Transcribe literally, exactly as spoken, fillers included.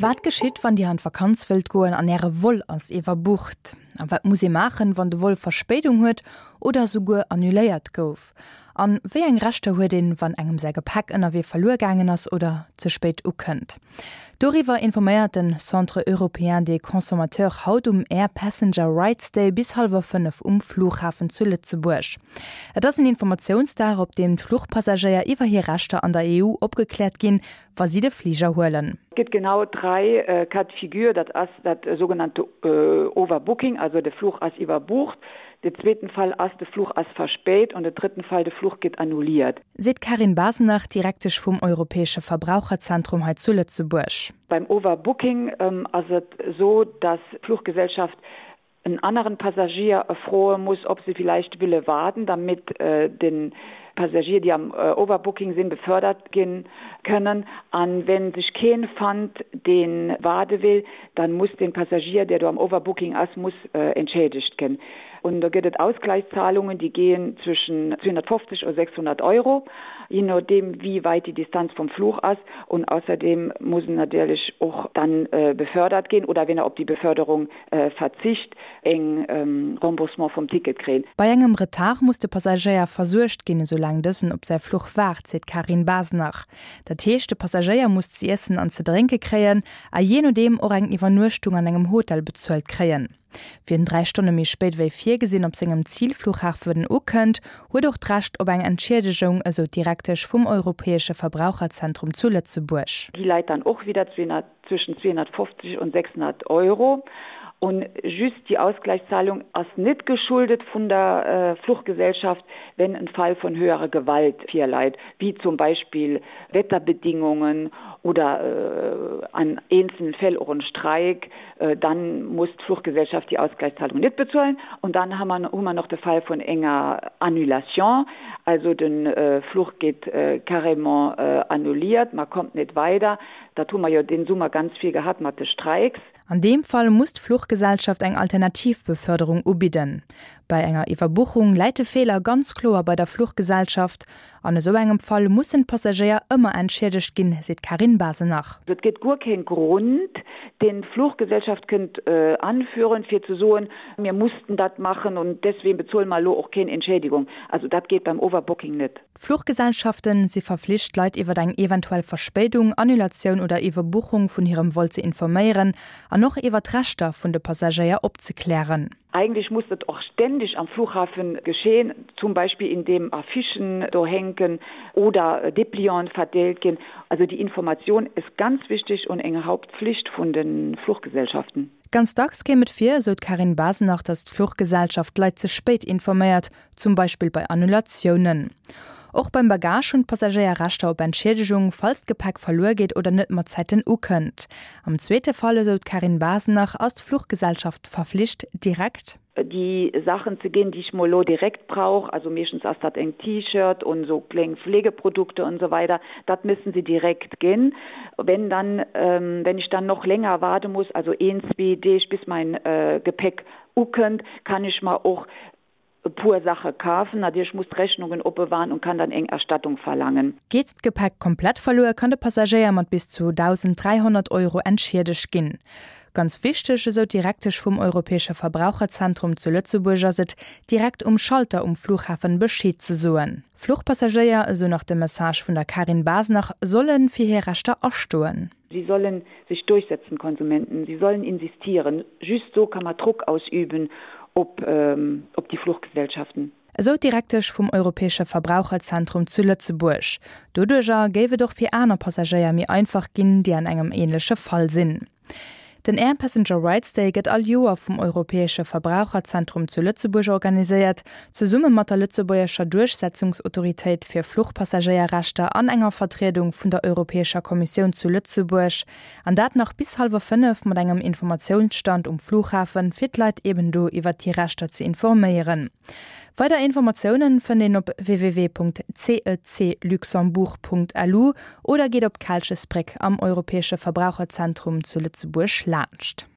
Wat geschitt, wann Dir an d'Vakanz wëllt goen an Äre Vol ass iwwerbucht? A wat muss ee maachen, wann de Vol Verspéidung huet oder souguer annuléiert gouf? An wéi eng Rechter huet een, wann engem säi Gepäck ënnerwee verluer gaangen ass oder ze spéit ukënnt? Doriwwer informéiert den Centre européen des consommateurs haut um Air Passenger Rights Day bis hallwer fënnef um Flughafen zu Lëtzebuerg. Et ass en Informatiounsdag, op deem d'Fluchpassagéier iwwer hir Rechter an der E U opgekläert ginn, wa si de Fliger huelen. Et gëtt genau dräi Cas de figure. Dat ass dat sougenannte Overbooking, also de Fluch ass iwwerbucht. De zweeten Fall ass, de Fluch ass verspéit, an de drëtten Fall, de Fluch gëtt annulliert. Seet d'Carine Basenach, Direktesch vum Europäesche Verbraucherzentrum hei zu Lëtzebuerg. Beim Overbooking ass et esou, dass d'Fluchgesellschaft en aneren Passagier froe muss, ob se villäicht wëlle waarden, damit den Passagier, déi am Overbooking sinn, befördert ginn kënnen. An wenn sech keen fannt, deen waarde will, dann muss den Passagier, der do am Overbooking ass, muss entschädigt ginn. Und do gëtt et Ausgleichszahlungen, déi gehen zwëschen zweehonnertfofzeg a sechshonnert Euro, je nodeem wéi weit déi Distanz vum Fluch ass. Und außerdem muss en natierlech och dann befördert ginn oder, wenn er op déi Beförderung verzicht, eng Remboursement vum Ticket kréien. Bei engem Retard muss de Passagéier versuergt ginn, esoulaang dësen op säi Fluch waart, seet d'Carine Basenach. Dat heescht, de Passagéier muss ze iessen an ze drénke kréien a jee nodeem och eng Iwwernuechtung an engem Hotel bezuelt kréien. Wien dräi Stonne méi spéit wéi virgesinn op sengem Zilflughafen ukënnt, huet och d'Recht op eng Entschiedegung, esou d'Direktesch vum Europäesche Verbraucherzentrum zu Lëtzebuerg. Déi läit dann och wieder zwëschen zweehonnertfofzeg und sechshonnert Euro. Und just die Ausgleichszahlung ass net geschuldet vun der Fluchgesellschaft, wenn en Fall von höherer Gewalt virläit, wie zum Beispill Wetterbedingungen oder an eenzelnen Fäll och en Streik, dann muss d'Fluchgesellschaft die Ausgleichszahlung net bezuelen. Und dann hu mer hu mer nach de Fall vun enger Annulation, also den Fluch geet carrément annulliert, man kommt net weider. Dat hu mer jo den Summer ganz vill gehat mat de Streiks. An deem Fall muss d'Fluchgesellschaft eng Alternativbeförderung ubidden. Bei enger Iwwerbuchung läit de Feeler ganz kloer bei der Fluchgesellschaft. An esou engem Fall mussen d'Passagéier ëmmer entschiedegt ginn, seet d'Carine Basenach. Et gëtt guer keen Grond, deen d'Fluchgesellschaft kënnt anführen, fir ze soen, mir mussten dat machen und deswegen bezuelen mer elo och keen Entschädigung. Also dat geet beim Overbooking net. D'Fluchgesellschaften si verflicht, d'Leit iwwer eng eventuell Verspéidung, Annulatioun oder Iwwerbuchung vun hirem Vol ze informéieren an och iwwer d'Rechter vun de Passagéier opzeklären. Eigentlich muss dat och ständig am Flughafen geschehen, zum Beispiel indem Affichen do hänken oder Déplianten verdeelt ginn. Also die Information ist ganz wichtig und eng Hauptpflicht vun den Fluchgesellschaften. Ganz dacks kéim et vir, esou d'Carine Basenach, datt d'Fluchgesellschaft d'Leit ze spéit informéiert, zum Beispill bei Annulatiounen. Och beim Bagage hunn d'Passagéier Rechter op Entschiedegung, falls d'Gepäck verluer geet oder net mat Zäiten ukënnt. Am zweete Fall, esou d'Carine Basenach, ass d'Fluchgesellschaft verflicht, direkt déi Saachen ze ginn, déi ech mol elo direkt brauch, also meeschtens ass dat eng T-Shirt und so kleng Pflegeprodukte und so weiter, dat müssen sie direkt ginn. Wenn dann, wenn ich dann noch länger warten muss, also een, zwee Deeg, bis mein Gepäck ukënnt, kann ich mer och e puer Sache kafen. Natierlech muss d'Rechnungen opbewahren und kann dann eng Erstattung verlangen. Geet d'Gepäck komplett verluer, kann de Passagéier mat bis zu dausend dräihonnert Euro entschiedegt ginn. Ganz wichteg, esou d'Direktesch vum Europäesche Verbraucherzentrum zu Lëtzebuerg, ass et, direkt um Schalter um Flughafen Bescheed ze soen. Fluchpassagéier, esou nach de Message vun der Carine Basenach, solle fir hir Rechter astoen. Sie sollen sich durchsetzen, Konsumenten. Sie sollen insistieren. Just so kann man Druck ausüben op, ähm, op die Fluchgesellschaften. Esou d'Direktesch vum Europäesche Verbraucherzentrum zu Lëtzebuerg. Doduercher géif et och fir aner Passagéier méi einfach ginn, déi an engem änleche Fall sinn. Den Air Passenger Rights Day gëtt all Joer vum Europäesche Verbraucherzentrum zu Lëtzebuerg organiséiert, zesumme mat der lëtzebuergescher Duerchsetzungsautoritéit fir Fluchpassagéierrechter an enger Vertriedung vun der Europäescher Kommissioun zu Lëtzebuerg. An dat nach bis hallwer fënnef mat engem Informatiounsstand um Flughafen, fir d'Leit eben do iwwer hir Rechter ze informéieren. Weider Informatiounen fënnt een op w w w Punkt c e c luxembourg Punkt l u oder geet op d'Kalchesbréck am Europäesche Verbraucherzentrum zu Lëtzebuerg laanscht.